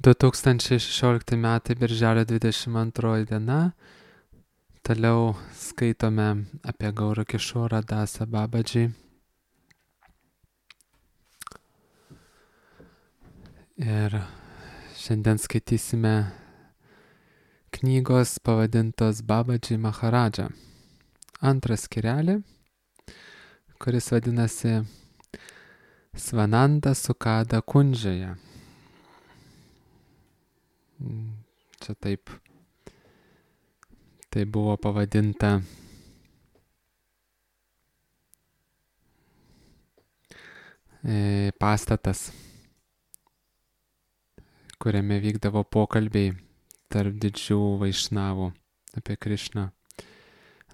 2016 metai birželio 22 diena. Toliau skaitome apie Gaura Kišorą Dasą Babadžį. Ir šiandien skaitysime knygos pavadintos Babadži Maharadža. Antras skyrelį, kuris vadinasi Svananda Sukada Kundžoje. Čia taip. Tai buvo pavadinta pastatas, kuriame vykdavo pokalbiai tarp didžių vaišnavų apie Krišną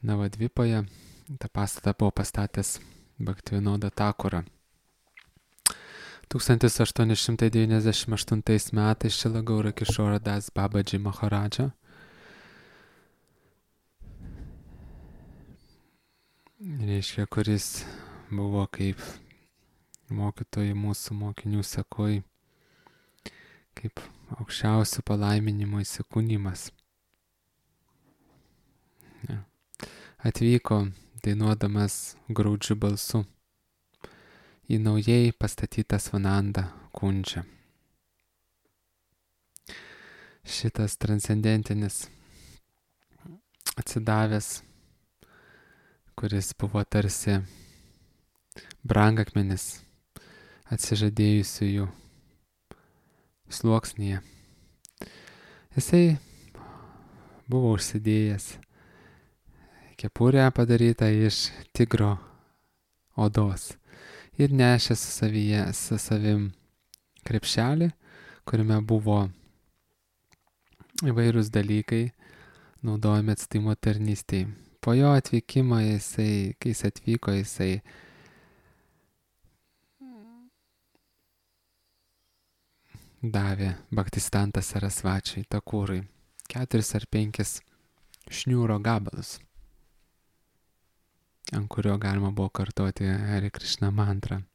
Navadvipoje. Ta pastatą buvo pastatęs Bhaktivinoda Thakura. 1898 metais Šrila Gaura Kišora Das Babadži Maharadža reiškia, kuris buvo kaip mokytojai mūsų mokinių sekoj, kaip aukščiausių palaiminimo įsikūnimas. Ja. Atvyko dainuodamas graudžiu balsu į naujai pastatytą Svananda Kundžą. Šitas transcendentinis atsidavęs, kuris buvo tarsi brangakmenis atsižadėjusiųjų sluoksnyje. Jisai buvo užsidėjęs kepurę padarytą iš tigro odos ir nešė su savim krepšelį, kuriame buvo įvairūs dalykai naudojami atstatymo tarnystėje. Po jo atvykimo kai jis atvyko, jisai davė Bhaktisiddhanta Sarasvačiui Thakurui 4 ar 5 šniūro gabalus, ant kurio galima buvo kartoti Hare Krishna mantrą.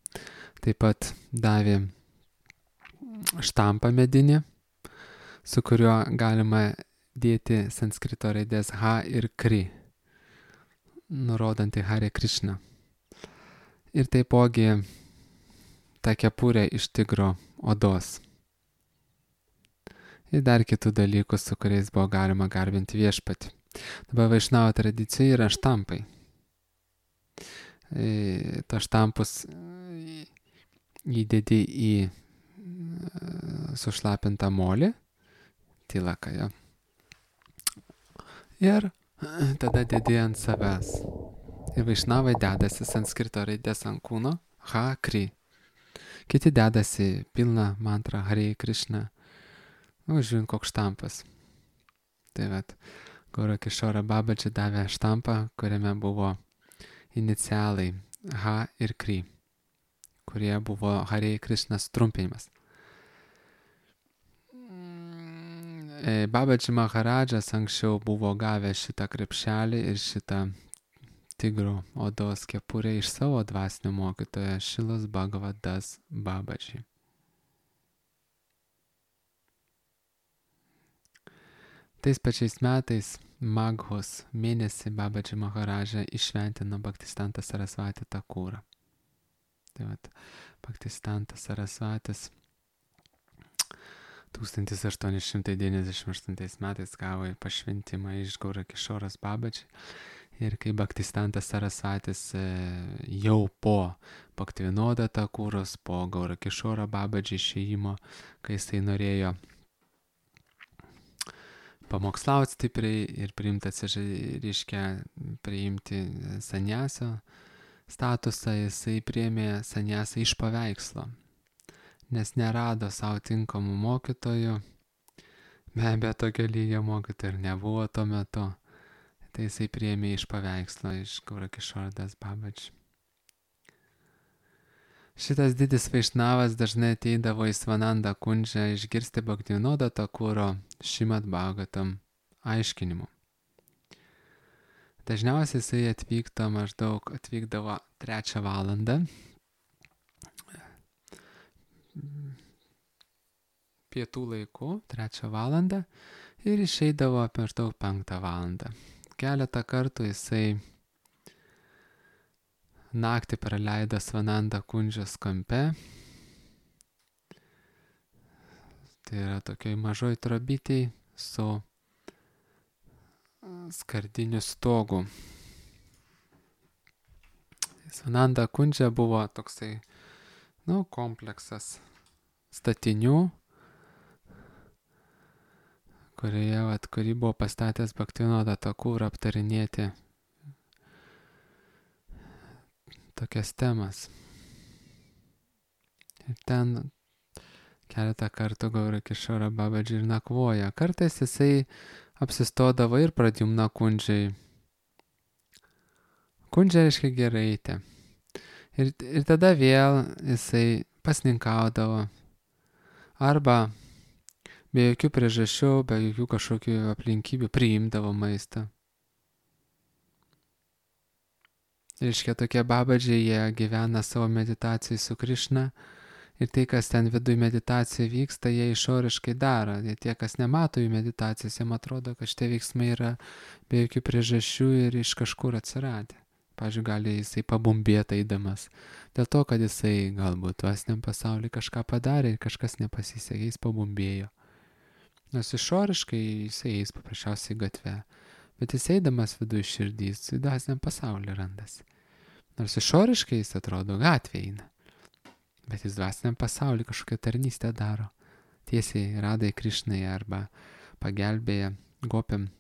Taip pat davė štampą medinį, su kuriuo galima dėti sanskrito raidės H ir Kri, nurodant į Hare Krishna. Ir taipogi tą kepurę iš tigro odos. Ir dar kitų dalykų, su kuriais buvo galima garbinti viešpatį. Dabar vaišnavo tradicijoje yra štampai. To štampus įdedi į sušlapintą molį, tilakają. Ir tada dedi ant savęs. Ir vaišnavai dedasi sanskrito raidės ant kūno H, Kri. Kiti dedasi pilną mantrą Hare Krishna. Žiūrint, koks štampas. Tai vat, Gaura Kišora Babadži davė štampą, kuriame buvo inicialai H ir Kri, kurie buvo Hare Krishna trumpinimas. Babadži Maharadžas anksčiau buvo gavęs šitą krepšelį ir šitą tigro odos kepurę iš savo dvasinio mokytojo Šrilos Bhagavad Das Babadži. Tais pačiais metais Maghos mėnesį Babadži Maharadža išventino Bhaktisiddhanta Sarasvatį Thakurą. Tai vat, Bhaktisiddhantas Sarasvatis 1898 metais gavo pašventimą iš Gaura Kišoros Babadži. Ir kai Bhaktisiddhantas Sarasvatis jau po Bhaktivinoda Thakuros, po Gaura Kišoro Babadži išėjimo, kai jisai norėjo pamokslauti stipriai ir priimti saniasio statusą, jisai priėmė saniasą iš paveikslo, nes nerado savo tinkamų mokytojų. Be abejo, tokio lygio mokytojų ir nebuvo tuo metu. Tai jisai priėmė iš paveikslo, iš Gaura Kišora Das Babadži. Šitas didis vaišnavas dažnai ateidavo į Svananda Kundžą išgirsti Bhaktivinoda Thakuro Šrimad Bhagavatam aiškinimų. Dažniausiai jisai atvykdavo 3 valandą pietų laiku, 3 valandą ir išeidavo maždaug 5 valandą. Keletą kartų jisai naktį praleido Svananda Kundžos kampe. Tai yra tokioj mažoj trobytėj su skardiniu stogu. Svananda Kundža buvo toksai, kompleksas statinių, kurį buvo pastatęs Bhaktivinoda Thakur aptarinėti tokias temas. Ir ten keletą kartų Gaura Kishora Babaji ir nakvoja. Kartais jisai apsistodavo ir Pradyumna Kundžai. Kundža reiškia giraitė. Ir tada vėl jisai pasninkaudavo. Arba be jokių priežasčių, be jokių kažkokių aplinkybių priimdavo maistą. Reiškia, tokie babadžiai, jie gyvena savo meditacijai su Krišna ir tai, kas ten viduj meditacija vyksta, jie išoriškai daro. Ir tie, kas nemato jų meditacijos, jiems atrodo, kad šitie veiksmai yra be jokių priežasčių ir iš kažkur atsiradę. Pavyzdžiui, gali jisai pabumbėti eidamas. Dėl to, kad jisai galbūt dvasiniam pasauliu kažką padarė ir kažkas nepasisekė, jis pabumbėjo. Nors išoriškai jisai eis paprasčiausiai gatve. Bet jis eidamas viduje širdys, į dvasiniam pasauliu randasi. Nors išoriškai jis atrodo gatvė eina. Bet jis dvasiniam pasauliu kažkokią tarnystę daro. Tiesiai Radai Krišnai arba pagelbėja gopiam.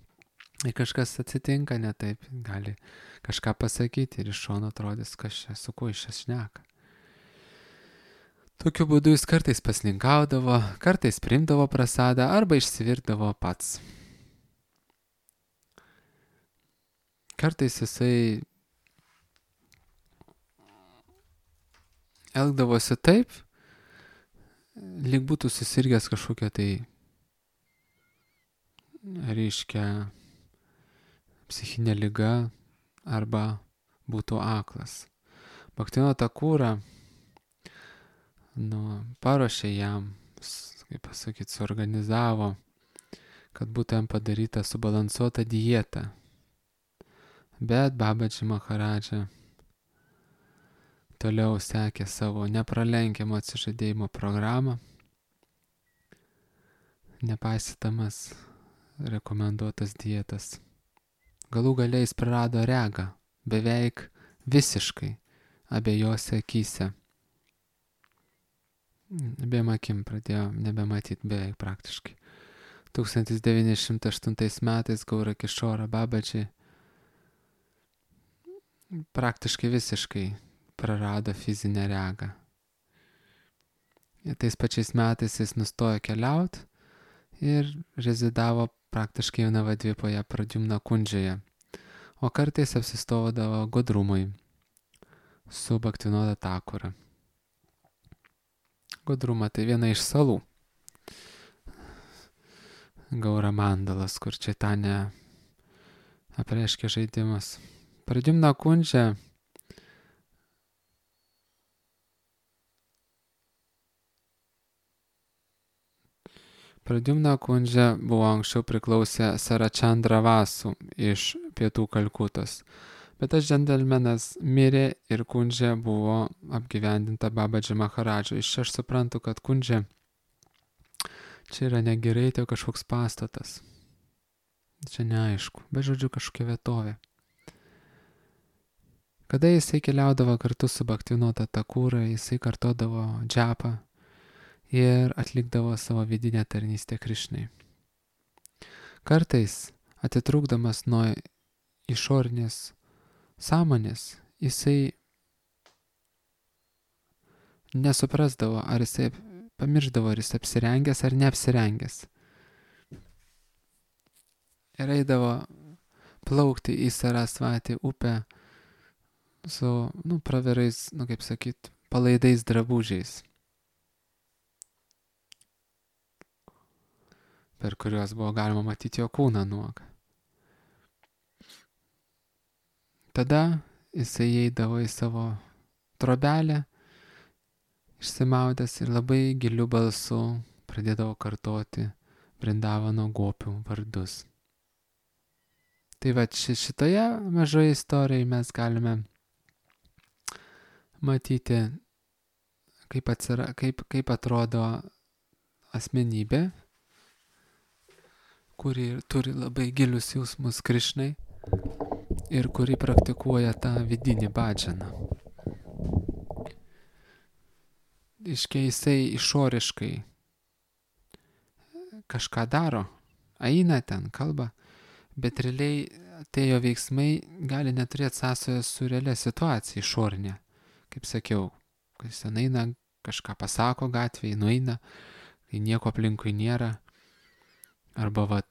Ir kažkas atsitinka ne taip, gali kažką pasakyti ir iš šono atrodys, su kuo iš čia šneka. Tokiu būdu jis kartais pasninkaudavo, kartais priimdavo prasadą arba išsivirdavo pats. Kartais jisai elgdavosi taip, lyg būtų susirgęs kažkokia tai, reiškia, psichinė liga arba būtų aklas. Bhaktivinoda Thakura paruošė jam, kaip pasakyti, suorganizavo, kad būtų jam padaryta subalansuota dieta. Bet Babaji Maharadža toliau sekė savo nepralenkiamo atsižadėjimo programą, nepaisydamas rekomenduotas dietas. Galų gale jis prarado regą, beveik visiškai, abiejose akyse. Abiem akim pradėjo nebematyti beveik praktiškai. 1908 metais Gaura Kishora Babaji praktiškai visiškai prarado fizinę regą. Ir tais pačiais metais jis nustojo keliauti ir rezidavo praktiškai Navadvipoje Pradyumna Kundžoje, o kartais apsistodavo Godrumui su Bhaktivinoda Thakura. Godruma tai viena iš salų. Gaura Mandalas, kur Čaitanija apreiškia žaidimas. Pradyumna Kundža buvo anksčiau priklausę Sarachandra Vasu iš pietų Kalkutos. Bet tas džentelmenas mirė ir Kundža buvo apgyvendinta Babaji Maharadžo. Iš čia aš suprantu, kad Kundža čia yra ne giraitė, o kažkoks pastatas. Čia neaišku, bet žodžiu kažkokia vietovė. Kada jisai keliaudavo kartu su Bhaktivinoda Thakura, jisai kartodavo džapą ir atlikdavo savo vidinę tarnystę Krišnai. Kartais, atitrūkdamas nuo išorinės sąmonės, jisai nesuprasdavo, ar jisai pamiršdavo, ar jis apsirengęs ar neapsirengęs. Ir eidavo plaukti į Sarasvatį upę su, pravirais, kaip sakyt, palaidais drabužiais, per kuriuos buvo galima matyti jo kūną nuogą. Tada jisai eidavo į savo trobelę, išsimaudęs ir labai giliu balsu pradėdavo kartoti Vrindavano gopių vardus. Tai va šitoje mažoje istorijoje mes galime matyti, kaip atrodo asmenybė, kuri turi labai gilius jausmus Krišnai ir kuri praktikuoja tą vidinį bhadžaną. Jisai išoriškai kažką daro, eina ten, kalba, bet realiai tie jo veiksmai gali neturėti sąsajos su realia situacija išorinė. Kaip sakiau, kai jis ten eina, kažką pasako gatvėje, nueina, kai nieko aplinkui nėra. Arba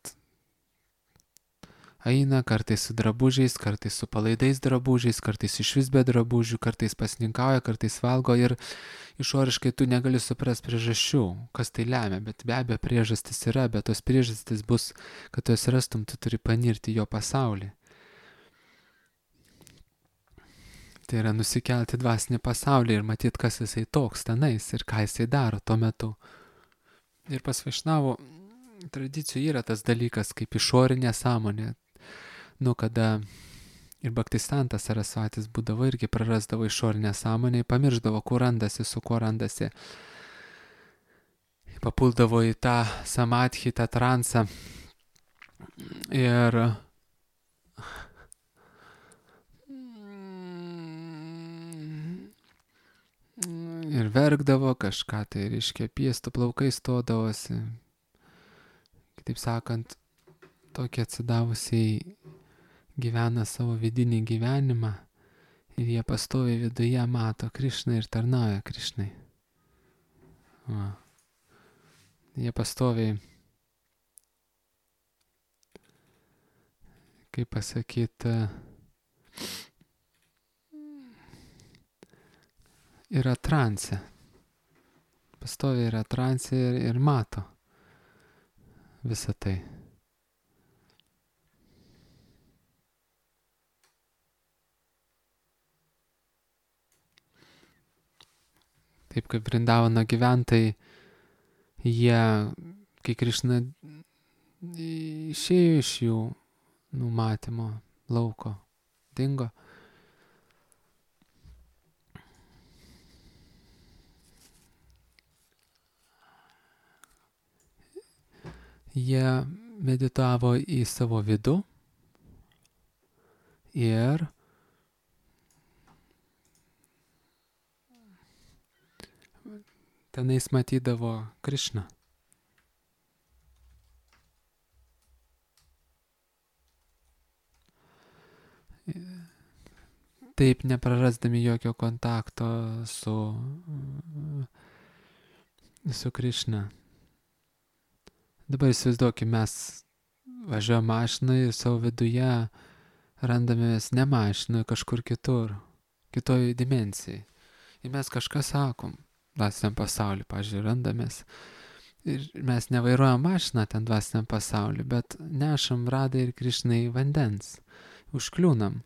eina kartais su drabužiais, kartais su palaidais drabužiais, kartais išvis be drabužių, kartais pasninkauja, kartais valgo ir išoriškai tu negali suprasti priežasčių, kas tai lemia, bet be abejo priežastis yra, bet tos priežastis bus, kad tu jas rastum, tu turi panirti jo pasaulį. Tai yra nusikelti dvasinį pasaulį ir matyti, kas jisai toks tenais ir ką jisai daro tuo metu. Ir pas Vaišnavų tradicijų yra tas dalykas kaip išorinė sąmonė. Kada ir Bhaktisantas Sarasvatis būdavo irgi prarasdavo išorinę sąmonę, pamiršdavo, kur randasi, su kuo randasi. Papuldavo į tą samadhi, tą transą ir verkdavo kažką, tai reiškia piestų plaukai stodavosi. Kitaip sakant, tokie atsidavusiai gyvena savo vidinį gyvenimą ir jie pastoviai viduje mato Krišną ir tarnauja Krišnai. Jie pastoviai, kaip pasakyti, yra transe. Pastoviai yra transe ir mato visą tai. Taip kaip Vrindavano gyventojai, jie, kai Krišna išėjo iš jų numatymo lauko, dingo, jie meditavo į savo vidų ir tenais matydavo Krišną. Taip neprarasdami jokio kontakto su Krišna. Dabar įsivaizduokime, mes važiuojame mašinai ir savo viduje randamės ne mašinoje, kažkur kitur, kitoj dimensijai. Ir mes kažką sakom dvasiniam pasauliu, pavyzdžiui, randamės. Ir mes nevairuojam mašiną ten dvasiniam pasauliu, bet nešam Radai ir Krišnai vandens. Užkliūnam.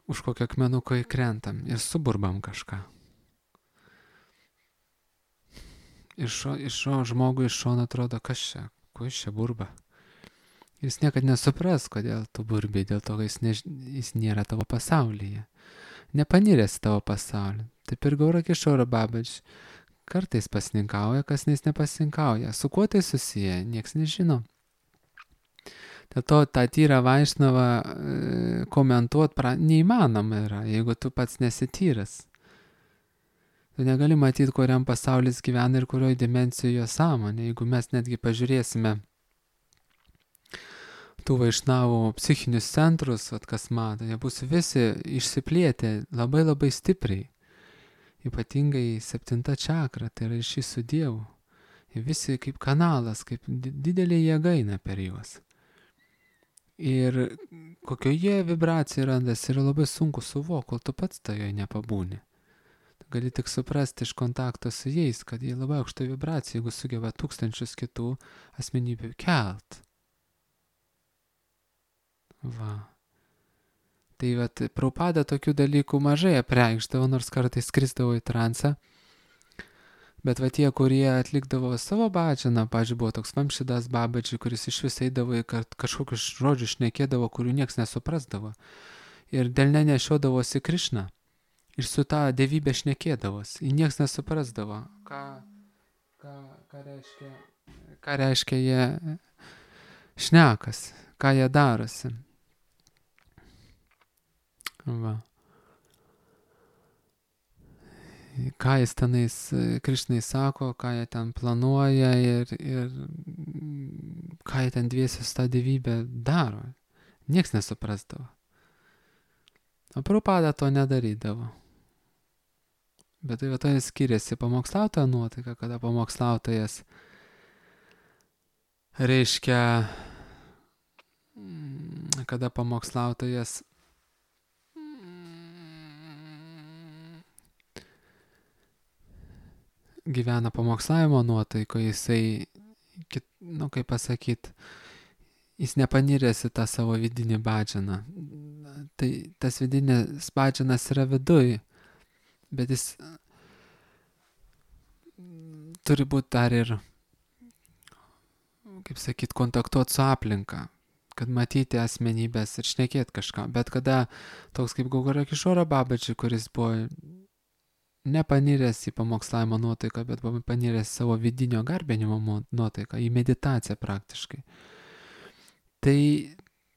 Už kokio akmenuko įkrentam ir suburbam kažką. Iš žmogui iš šono atrodo, kas čia, ko jis čia burba. Jis niekad nesupras, kodėl tu burbiai, dėl to, kad jis nėra tavo pasaulyje. Nepaniręs tavo pasaulį. Taip ir Gaura Kišora Babač kartais pasninkauja, kas nepasninkauja. Su kuo tai susiję, nieks nežino. Dėl to tą tyrą Vaišnavą komentuoti neįmanoma yra, jeigu tu pats nesi tyras. Tu negali matyti, kuriam pasaulis gyvena ir kurioje dimensijoje jo sąmonė. Jeigu mes netgi pažiūrėsime tų Vaišnavų psichinius centrus, kas mato, jie bus visi išsiplėtę labai labai stipriai. Ypatingai 7 čakra, tai yra ryšys su Dievu. Jie visi kaip kanalas, kaip didelė jėga eina per juos. Ir kokioje vibracija randasi yra labai sunku suvokti, kol tu pats toje nepabūni. Gali tik suprasti iš kontakto su jais, kad jie labai aukšta vibracija, jeigu sugeba tūkstančius kitų asmenybių kelt. Va. Tai Prabhupada tokių dalykų mažai apreikšdavo, nors kartais skrisdavo į transą. Bet va tie, kurie atlikdavo savo bhajaną, pavyzdžiui, buvo toks Vamšidas Babaji, kuris iš vis eidavo į kažkokius žodžius šnekėdavo, kurių niekas nesuprasdavo. Ir delne nešiodavosi Krišną. Ir su tą dievybę šnekėdavos. Ir niekas nesuprasdavo, ką reiškia jie šnekas, ką jie darosi. Va. Ką jis tenais Krišnai sako, ką jie ten planuoja ir ką jie ten dviesius tą dievybę daro. Niekas nesuprasdavo. O Prabhupada to nedarydavo. Bet tai va to skiriasi pamokslautojo nuotaika, kada pamokslautojas reiškia, kada pamokslautojas gyvena pamokslavimo nuotaikoje, jisai, kaip pasakyt, jis nepaniręs į tą savo vidinį bhajaną. Tai tas vidinis bhajanas yra viduj, bet jis turi būti dar ir, kaip sakyt, kontaktuoti su aplinka, kad matyti asmenybės ir šnekėti kažką. Bet kada toks kaip Gaura Kišoro Babaji, kuris buvo nepaniręs į pamokslavimo nuotaiką, bet buvo paniręs savo vidinio garbinimo nuotaiką, į meditaciją praktiškai. Tai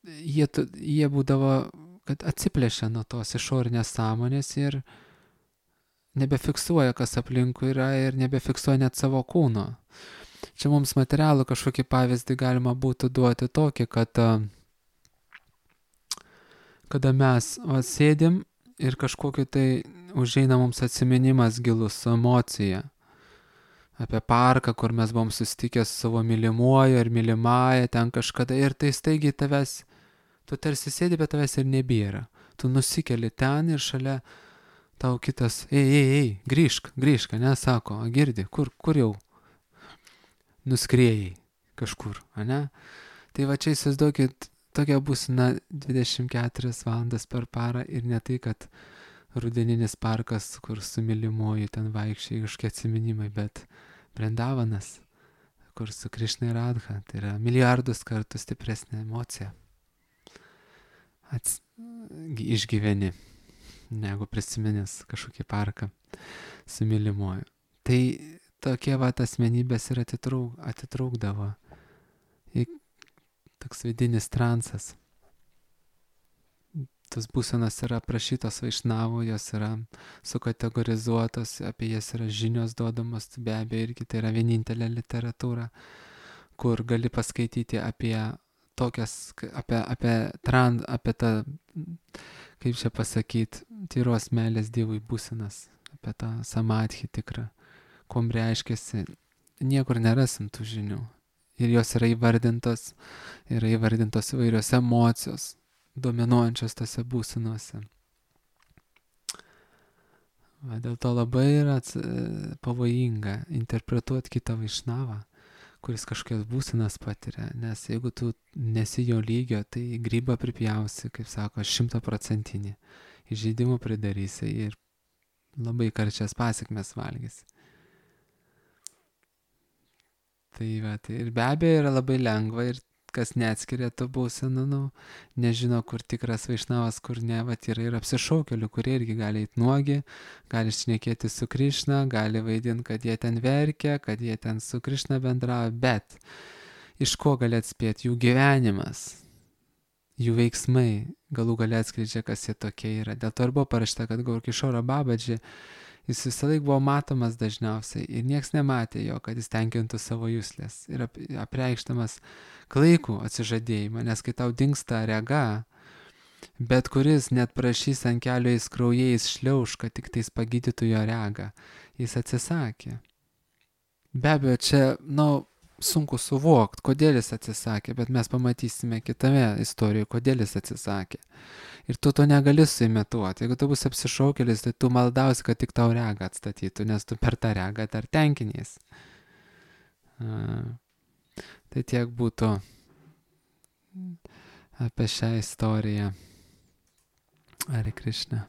jie būdavo, kad atsiplėšia nuo tos išorinės sąmonės ir nebefiksuoja, kas aplinkui yra ir nebefiksuoja net savo kūno. Čia mums materialų kažkokį pavyzdį galima būtų duoti tokį, kada mes sėdim ir kažkokiu tai užeina mums atsiminimas gilus su emocija apie parką, kur mes buvom susitikę su savo mylimuoju ar mylimąja ten kažkada ir tai staigiai tavęs, tu tarsi sėdi, bet tavęs ir nebėra. Tu nusikeli ten ir šalia tau kitas, ei, grįžk, ne, sako, girdi, kur jau nuskrėjai kažkur, ne? Tai va čia įsivaizduokit, tokia būsena 24 valandas per parą ir ne tai, kad rudeninis parkas, kur su mylimuoju ten vaikščiai kažkokie atsiminimai, bet Vrindavanas, kur su Krišna ir Radha, tai yra milijardus kartų stipresnė emocija. Išgyveni, negu prisiminęs kažkokį parką su mylimuoju. Tai tokie va asmenybės ir atitrūkdavo. Toks vidinis transas. Tos būsenos yra aprašytos Vaišnavų, jos yra sukategorizuotos, apie jas yra žinios duodamos, be abejo irgi tai yra vienintelė literatūra, kur gali paskaityti apie tokias, apie tą, kaip čia pasakyti, tyros meilės Dievui būsenas, apie tą samadhi tikrą, kuom reiškiasi, niekur nerasim tų žinių. Ir jos yra įvardintos įvairios emocijos, dominuojančios tose būsenuose. Dėl to labai yra pavojinga interpretuoti kitą Vaišnavą, kuris kažkokias būsenas patiria, nes jeigu tu nesi jo lygio, tai grybą pripjausi, kaip sako, 100%, įžeidimų pridarysi ir labai karčias pasekmes valgysi. Tai ir be abejo yra labai lengva ir kas neatskiria tų būsenų, nežino, kur tikras Vaišnavas, kur ne, yra ir apsišaukėlių, kurie irgi gali eiti nuogi, gali šnekėti su Krišna, gali vaidinti, kad jie ten verkia, kad jie ten su Krišna bendrauja, bet iš ko gali atspėti jų gyvenimas, jų veiksmai, galų gali atskleidžia, kas jie tokie yra. Dėl to ir buvo parašyta, kad Gaura Kišoro Babaji, jis visą laiką buvo matomas dažniausiai ir nieks nematė jo, kad jis tenkintų savo juslės ir apreikštamas klaikų atsižadėjimą, nes kai tau dingsta rega, bet kuris net prašys ant kelio jis kraujais šliauš, kad tik tais pagydytų jo regą, jis atsisakė. Be abejo, čia, sunku suvokti, kodėl jis atsisakė, bet mes pamatysime kitame istorijoje, kodėl jis atsisakė. Ir tu to negali suimituoti. Jeigu tu bus apsišaukėlis, tai tu maldausi, kad tik tau regą atstatytų, nes tu per tą regą dar tenkinies. Tai tiek būtų apie šią istoriją. Hare Krishna.